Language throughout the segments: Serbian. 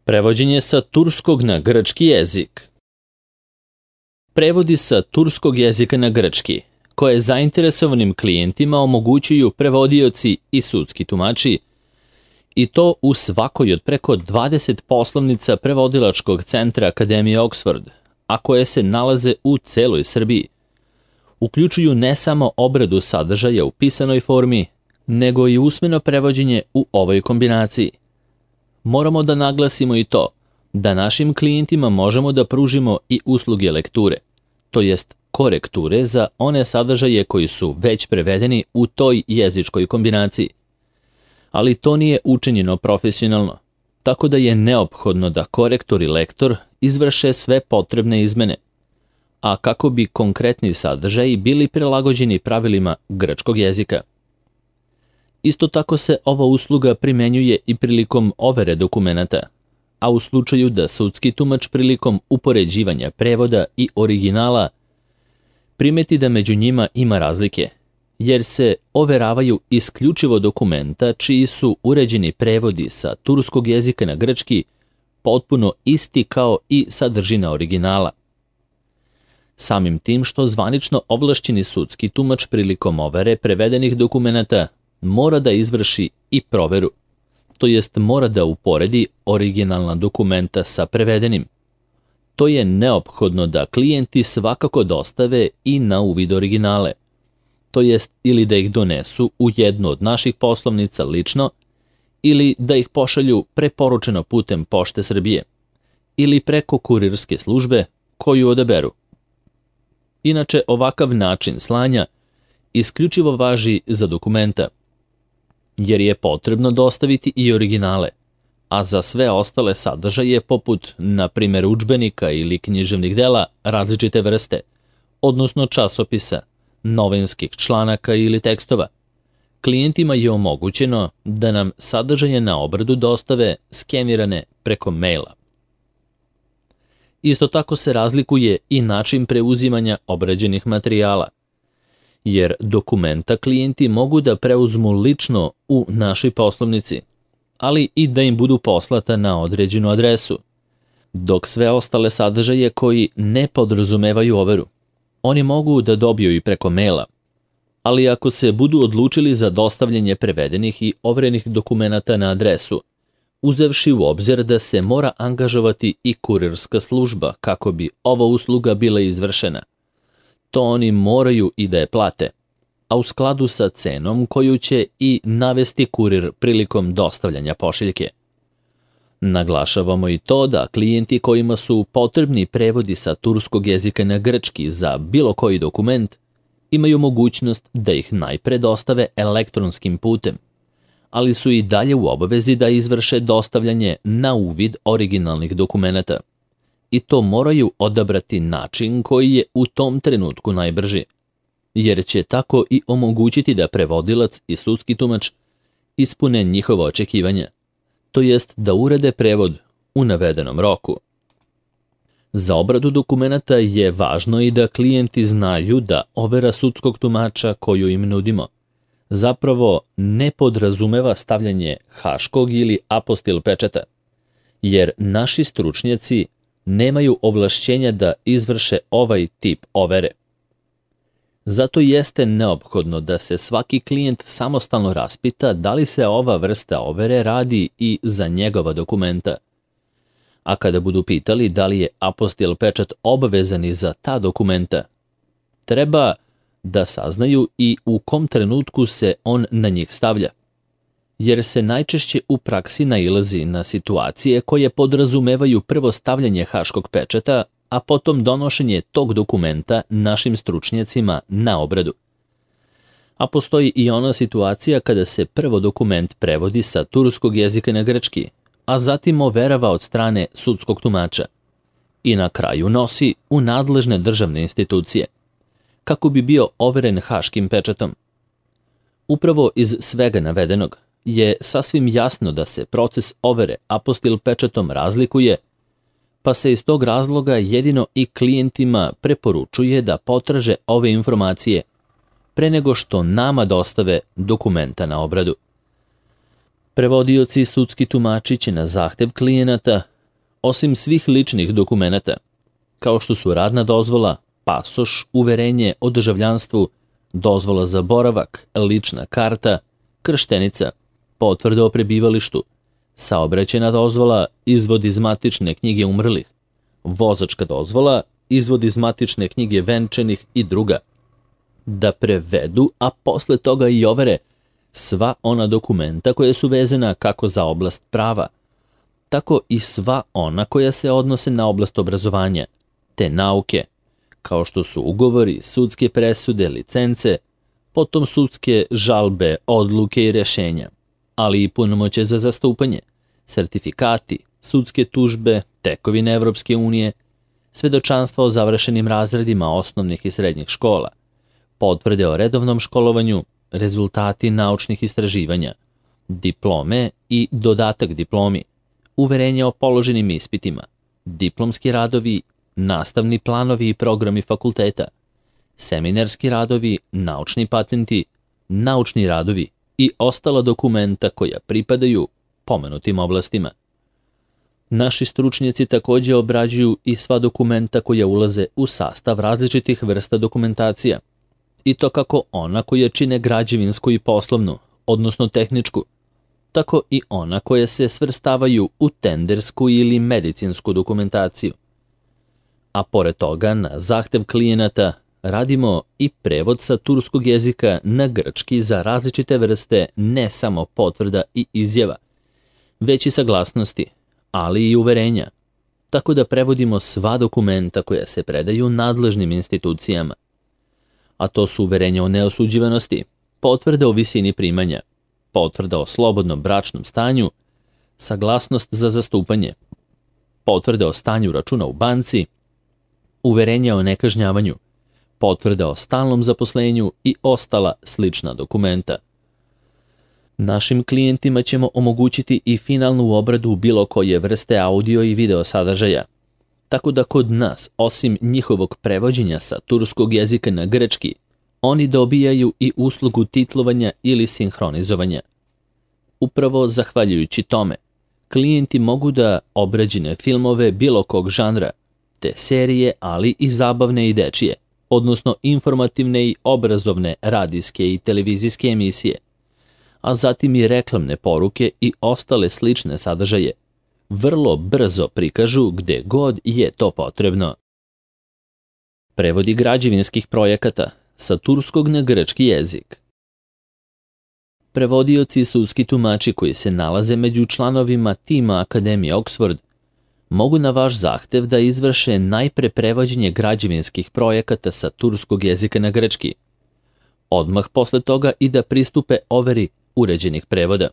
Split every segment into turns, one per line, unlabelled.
Prevođenje sa turskog na grčki jezik. Prevodi sa turskog jezika na grčki, koje zainteresovanim klijentima omogućuju prevodioci i sudski tumači, i to u svakoj od preko 20 poslovnica prevodilačkog centra Akademije Oxford, a koje se nalaze u celoj Srbiji. Uključuju ne samo obradu sadržaja u pisanoj formi, nego i usmeno prevođenje u ovoj kombinaciji. Moramo da naglasimo i to da našim klijentima možemo da pružimo i usluge lekture, to jest korekture za one sadržaje koji su već prevedeni u toj jezičkoj kombinaciji. Ali to nije učinjeno profesionalno, tako da je neophodno da korektor i lektor izvrše sve potrebne izmene, a kako bi konkretni sadržaji bili prilagođeni pravilima grčkog jezika. Isto tako se ova usluga primenjuje i prilikom overe dokumenata, a u slučaju da sudski tumač prilikom upoređivanja prevoda i originala primeti da među njima ima razlike, jer se overavaju isključivo dokumenta čiji su uređeni prevodi sa turskog jezika na grčki potpuno isti kao i sadržina originala. Samim tim što zvanično ovlašćeni sudski tumač prilikom overe prevedenih dokumenata mora da izvrši i proveru, to jest mora da uporedi originalna dokumenta sa prevedenim. To je neophodno da klijenti svakako dostave i na uvid originale, to jest ili da ih donesu u jednu od naših poslovnica lično, ili da ih pošalju preporučeno putem Pošte Srbije, ili preko kurirske službe koju odaberu. Inače, ovakav način slanja isključivo važi za dokumenta, jer je potrebno dostaviti i originale, a za sve ostale sadržaje poput, na primjer, udžbenika ili književnih dela različite vrste, odnosno časopisa, novinskih članaka ili tekstova, klijentima je omogućeno da nam sadržaje na obradu dostave skenirane preko maila. Isto tako se razlikuje i način preuzimanja obrađenih materijala, jer dokumenta klijenti mogu da preuzmu lično u našoj poslovnici, ali i da im budu poslata na određenu adresu, dok sve ostale sadržaje koji ne podrazumevaju overu, oni mogu da dobiju i preko maila, ali ako se budu odlučili za dostavljanje prevedenih i overenih dokumenata na adresu, uzevši u obzir da se mora angažovati i kurirska služba kako bi ova usluga bila izvršena, to oni moraju i da je plate, a u skladu sa cenom koju će i navesti kurir prilikom dostavljanja pošiljke. Naglašavamo i to da klijenti kojima su potrebni prevodi sa turskog jezika na grčki za bilo koji dokument imaju mogućnost da ih najpre dostave elektronskim putem, ali su i dalje u obavezi da izvrše dostavljanje na uvid originalnih dokumenata. I to moraju odabrati način koji je u tom trenutku najbrži, jer će tako i omogućiti da prevodilac i sudski tumač ispune njihova očekivanja, to jest da urede prevod u navedenom roku. Za obradu dokumenata je važno i da klijenti znaju da overa sudskog tumača koju im nudimo zapravo ne podrazumeva stavljanje haškog ili apostil pečata, jer naši stručnjaci nemaju ovlašćenja da izvrše ovaj tip overe. Zato jeste neophodno da se svaki klijent samostalno raspita da li se ova vrsta overe radi i za njegova dokumenta. A kada budu pitali da li je apostil pečat obavezan i za ta dokumenta, treba da saznaju i u kom trenutku se on na njih stavlja, jer se najčešće u praksi nailazi na situacije koje podrazumevaju prvo stavljanje haškog pečata, a potom donošenje tog dokumenta našim stručnjacima na obradu. A postoji i ona situacija kada se prvo dokument prevodi sa turskog jezika na grčki, a zatim overava od strane sudskog tumača i na kraju nosi u nadležne državne institucije, kako bi bio overen haškim pečatom. Upravo iz svega navedenog je sasvim jasno da se proces overe apostil pečatom razlikuje, pa se iz tog razloga jedino i klijentima preporučuje da potraže ove informacije pre nego što nama dostave dokumenta na obradu. Prevodioci i sudski tumači će na zahtev klijenata Osim svih ličnih dokumenata, kao što su radna dozvola, pasoš, uverenje o državljanstvu, dozvola za boravak, lična karta, krštenica, potvrda o prebivalištu, saobraćajna dozvola, izvod iz matične knjige umrlih, vozačka dozvola, izvod iz matične knjige venčanih i druga, da prevedu, a posle toga i overe sva ona dokumenta koja su vezana kako za oblast prava, tako i sva ona koja se odnose na oblast obrazovanja, te nauke, kao što su ugovori, sudske presude, licence, potom sudske žalbe, odluke i rešenja, ali i punomoćje za zastupanje, sertifikati, sudske tužbe, tekovine Evropske unije, svedočanstva o završenim razredima osnovnih i srednjih škola, potvrde o redovnom školovanju, rezultati naučnih istraživanja, diplome i dodatak diplomi, uverenja o položenim ispitima, diplomski radovi, nastavni planovi i programi fakulteta, seminarski radovi, naučni patenti, naučni radovi i ostala dokumenta koja pripadaju pomenutim oblastima. Naši stručnjaci takođe obrađuju i sva dokumenta koja ulaze u sastav različitih vrsta dokumentacija, i to kako ona koja čine građevinsku i poslovnu, odnosno tehničku, tako i ona koja se svrstavaju u tendersku ili medicinsku dokumentaciju. A pored toga, na zahtev klijenata, radimo i prevod sa turskog jezika na grčki za različite vrste ne samo potvrda i izjava, već i saglasnosti, ali i uverenja, tako da prevodimo sva dokumenta koja se predaju nadležnim institucijama. A to su uverenja o neosuđivanosti, potvrda o visini primanja, potvrda o slobodnom bračnom stanju, saglasnost za zastupanje, potvrda o stanju računa u banci, uverenja o nekažnjavanju, potvrda o stalnom zaposlenju i ostala slična dokumenta. Našim klijentima ćemo omogućiti i finalnu obradu bilo koje vrste audio i video sadržaja, tako da kod nas, osim njihovog prevođenja sa turskog jezika na grčki, oni dobijaju i uslugu titlovanja ili sinhronizovanja. Upravo zahvaljujući tome, klijenti mogu da obrađene filmove bilo kog žanra, te serije, ali i zabavne i dečije, odnosno informativne i obrazovne radijske i televizijske emisije, a zatim i reklamne poruke i ostale slične sadržaje, vrlo brzo prikažu gde god je to potrebno. Prevodi građevinskih projekata sa turskog na grčki jezik. Prevodioci i sudski tumači koji se nalaze među članovima tima Akademije Oxford mogu na vaš zahtev da izvrše najpre prevođenje građevinskih projekata sa turskog jezika na grčki, odmah posle toga i da pristupe overi uređenih prevoda.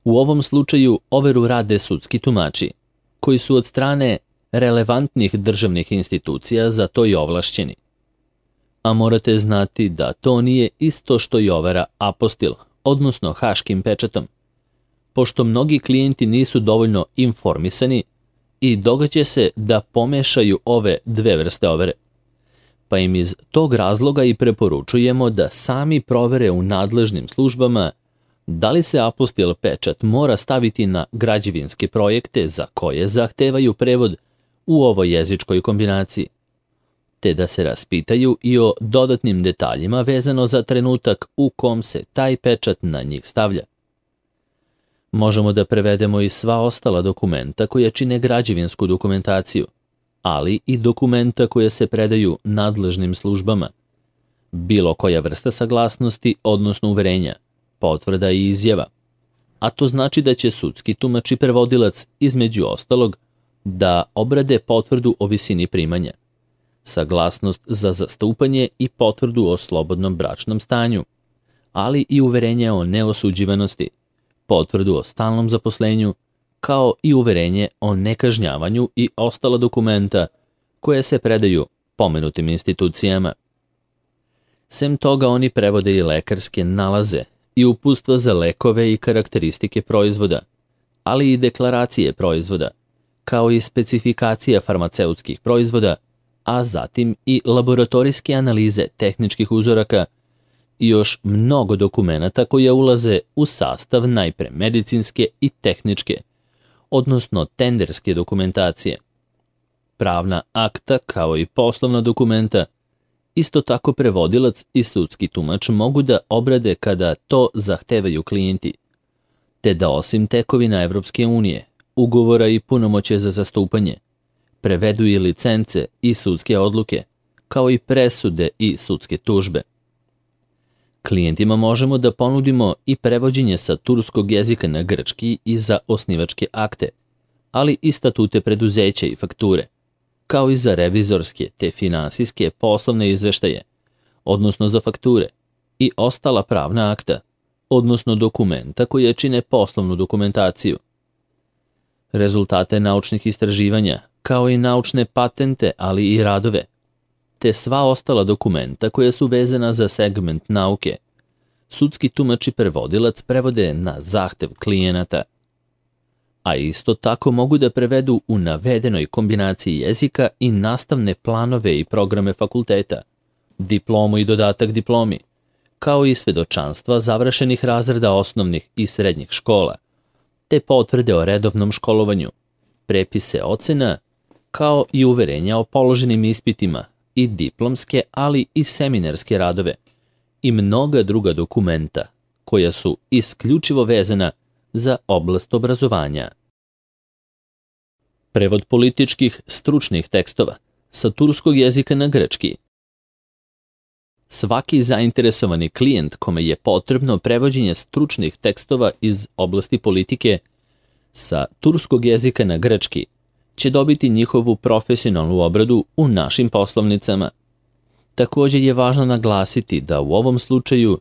U ovom slučaju overu rade sudski tumači, koji su od strane relevantnih državnih institucija za to i ovlašćeni. A morate znati da to nije isto što i overa apostil, odnosno haškim pečatom, pošto mnogi klijenti nisu dovoljno informisani i događa se da pomešaju ove dve vrste overe. Pa im iz tog razloga i preporučujemo da sami provere u nadležnim službama da li se apostil pečat mora staviti na građevinske projekte za koje zahtevaju prevod u ovoj jezičkoj kombinaciji, te da se raspitaju i o dodatnim detaljima vezano za trenutak u kom se taj pečat na njih stavlja. Možemo da prevedemo i sva ostala dokumenta koja čine građevinsku dokumentaciju, ali i dokumenta koja se predaju nadležnim službama, bilo koja vrsta saglasnosti, odnosno uverenja, potvrda i izjava, a to znači da će sudski tumač i prevodilac između ostalog da obrade potvrdu o visini primanja, saglasnost za zastupanje i potvrdu o slobodnom bračnom stanju, ali i uverenje o neosuđivanosti, potvrdu o stalnom zaposlenju, kao i uverenje o nekažnjavanju i ostala dokumenta koje se predaju pomenutim institucijama. Sem toga oni prevode i lekarske nalaze i uputstva za lekove i karakteristike proizvoda, ali i deklaracije proizvoda, kao i specifikacija farmaceutskih proizvoda, a zatim i laboratorijske analize tehničkih uzoraka i još mnogo dokumenata koja ulaze u sastav najpre medicinske i tehničke, odnosno tenderske dokumentacije. Pravna akta, kao i poslovna dokumenta, isto tako prevodilac i sudski tumač mogu da obrade kada to zahtevaju klijenti, te da osim tekovina Evropske unije, ugovora i punomoće za zastupanje, prevedu i licence i sudske odluke, kao i presude i sudske tužbe. Klijentima možemo da ponudimo i prevođenje sa turskog jezika na grčki i za osnivačke akte, ali i statute preduzeća i fakture, kao i za revizorske te finansijske poslovne izveštaje, odnosno za fakture, i ostala pravna akta, odnosno dokumenta koje čine poslovnu dokumentaciju. Rezultate naučnih istraživanja, kao i naučne patente, ali i radove, te sva ostala dokumenta koja su vezana za segment nauke, sudski tumač i prevodilac prevode na zahtev klijenata, a isto tako mogu da prevedu u navedenoj kombinaciji jezika i nastavne planove i programe fakulteta, diplomu i dodatak diplomi, kao i svedočanstva završenih razreda osnovnih i srednjih škola, te potvrde o redovnom školovanju, prepise ocena, kao i uverenja o položenim ispitima i diplomske, ali i seminarske radove i mnoga druga dokumenta koja su isključivo vezana za oblast obrazovanja. Prevod političkih stručnih tekstova sa turskog jezika na grčki. Svaki zainteresovani klijent kome je potrebno prevođenje stručnih tekstova iz oblasti politike sa turskog jezika na grčki će dobiti njihovu profesionalnu obradu u našim poslovnicama. Također je važno naglasiti da u ovom slučaju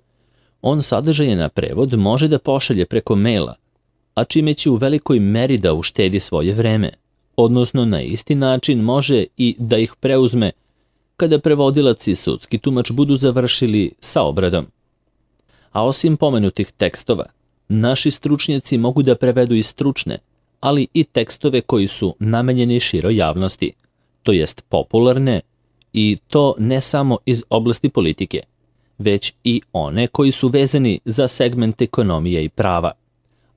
on sadržaje na prevod može da pošalje preko maila, a čime će u velikoj meri da uštedi svoje vreme, odnosno na isti način može i da ih preuzme kada prevodilac i sudski tumač budu završili sa obradom. A osim pomenutih tekstova, naši stručnjaci mogu da prevedu i stručne, ali i tekstove koji su namenjeni široj javnosti, to jest popularne, i to ne samo iz oblasti politike, već i one koji su vezani za segment ekonomije i prava,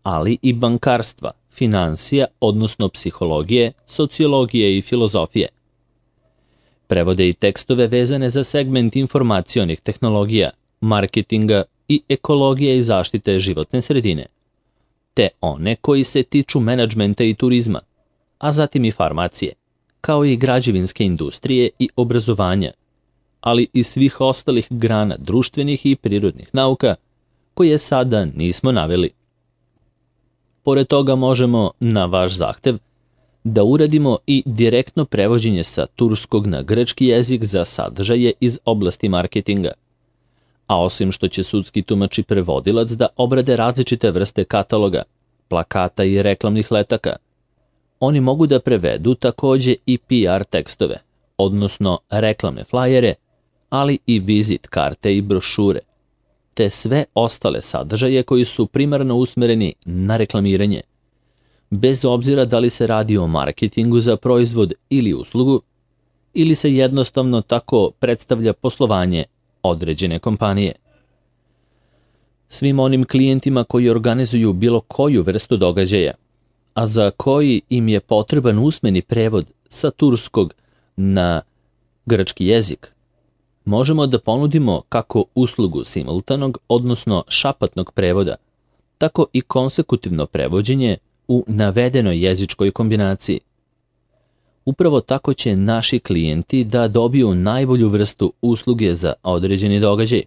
ali i bankarstva, finansija, odnosno psihologije, sociologije i filozofije. Prevode i tekstove vezane za segment informacionih tehnologija, marketinga i ekologije i zaštite životne sredine, te one koji se tiču menadžmenta i turizma, a zatim i farmacije, kao i građevinske industrije i obrazovanja, ali i svih ostalih grana društvenih i prirodnih nauka koje sada nismo naveli. Pored toga možemo, na vaš zahtev, da uradimo i direktno prevođenje sa turskog na grčki jezik za sadržaje iz oblasti marketinga. A osim što će sudski tumač i prevodilac da obrade različite vrste kataloga, plakata i reklamnih letaka, oni mogu da prevedu takođe i PR tekstove, odnosno reklamne flajere, ali i vizit karte i brošure, te sve ostale sadržaje koji su primarno usmereni na reklamiranje, bez obzira da li se radi o marketingu za proizvod ili uslugu, ili se jednostavno tako predstavlja poslovanje određene kompanije. Svim onim klijentima koji organizuju bilo koju vrstu događaja, a za koji im je potreban usmeni prevod sa turskog na grčki jezik, možemo da ponudimo kako uslugu simultanog, odnosno šapatnog prevoda, tako i konsekutivno prevođenje u navedenoj jezičkoj kombinaciji. Upravo tako će naši klijenti da dobiju najbolju vrstu usluge za određeni događaj,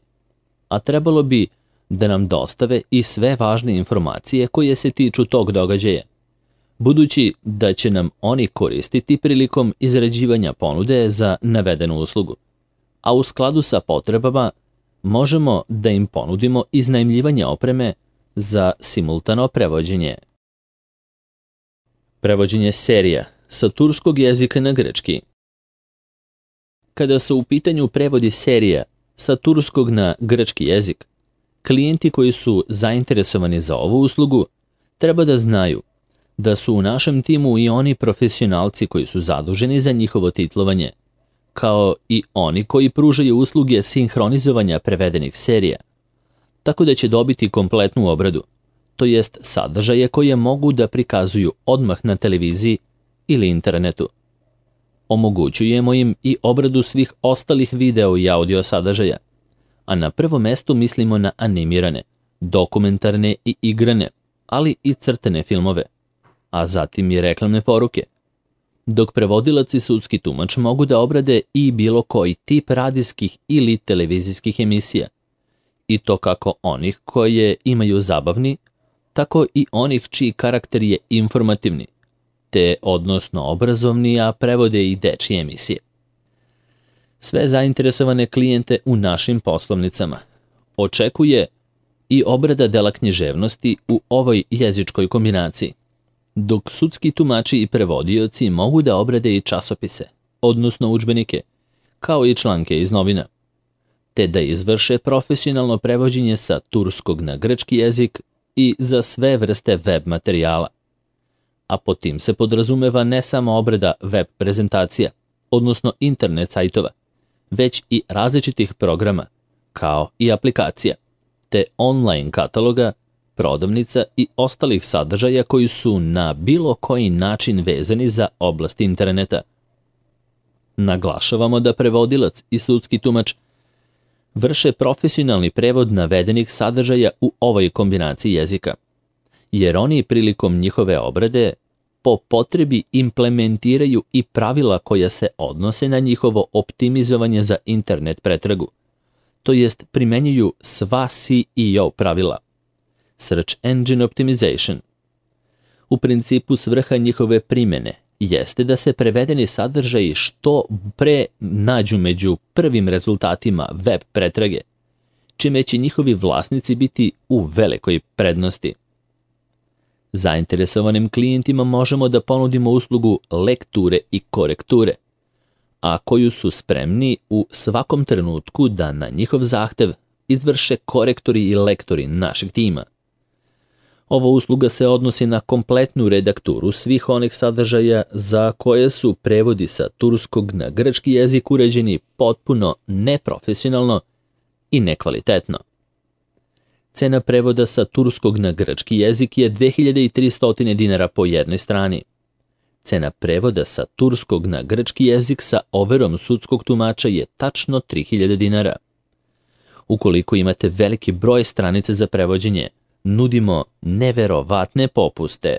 a trebalo bi da nam dostave i sve važne informacije koje se tiču tog događaja, budući da će nam oni koristiti prilikom izrađivanja ponude za navedenu uslugu, a u skladu sa potrebama možemo da im ponudimo iznajmljivanje opreme za simultano prevođenje. Prevođenje serija sa turskog jezika na grčki. Kada su u pitanju prevodi serija sa turskog na grčki jezik, klijenti koji su zainteresovani za ovu uslugu treba da znaju da su u našem timu i oni profesionalci koji su zaduženi za njihovo titlovanje, kao i oni koji pružaju usluge sinhronizovanja prevedenih serija, tako da će dobiti kompletnu obradu, to jest sadržaje koje mogu da prikazuju odmah na televiziji ili internetu. Omogućujemo im i obradu svih ostalih video i audio sadržaja, a na prvom mestu mislimo na animirane, dokumentarne i igrane, ali i crtene filmove, a zatim i reklamne poruke. Dok prevodilac i sudski tumač mogu da obrade i bilo koji tip radijskih ili televizijskih emisija, i to kako onih koje imaju zabavni, tako i onih čiji karakter je informativni, te odnosno obrazovni, a prevode i dečije emisije. Sve zainteresovane klijente u našim poslovnicama očekuje i obrada dela književnosti u ovoj jezičkoj kombinaciji, dok sudski tumači i prevodioci mogu da obrade i časopise, odnosno udžbenike, kao i članke iz novina, te da izvrše profesionalno prevođenje sa turskog na grčki jezik i za sve vrste web materijala. A pod tim se podrazumeva ne samo obrada web prezentacija, odnosno internet sajtova, već i različitih programa, kao i aplikacija, te online kataloga, prodavnica i ostalih sadržaja koji su na bilo koji način vezani za oblast interneta. Naglašavamo da prevodilac i sudski tumač vrše profesionalni prevod navedenih sadržaja u ovoj kombinaciji jezika, jer oni prilikom njihove obrade po potrebi implementiraju i pravila koja se odnose na njihovo optimizovanje za internet pretragu, to jest primenjuju sva SEO pravila, Search Engine Optimization. U principu svrha njihove primjene jeste da se prevedeni sadržaji što pre nađu među prvim rezultatima web pretrage, čime će njihovi vlasnici biti u velikoj prednosti. Zainteresovanim klijentima možemo da ponudimo uslugu lekture i korekture, a koju su spremni u svakom trenutku da na njihov zahtev izvrše korektori i lektori našeg tima. Ova usluga se odnosi na kompletnu redakturu svih onih sadržaja za koje su prevodi sa turskog na grčki jezik uređeni potpuno neprofesionalno i nekvalitetno. Cena prevoda sa turskog na grčki jezik je 2300 dinara po jednoj strani. Cena prevoda sa turskog na grčki jezik sa overom sudskog tumača je tačno 3000 dinara. Ukoliko imate veliki broj stranica za prevođenje, nudimo neverovatne popuste.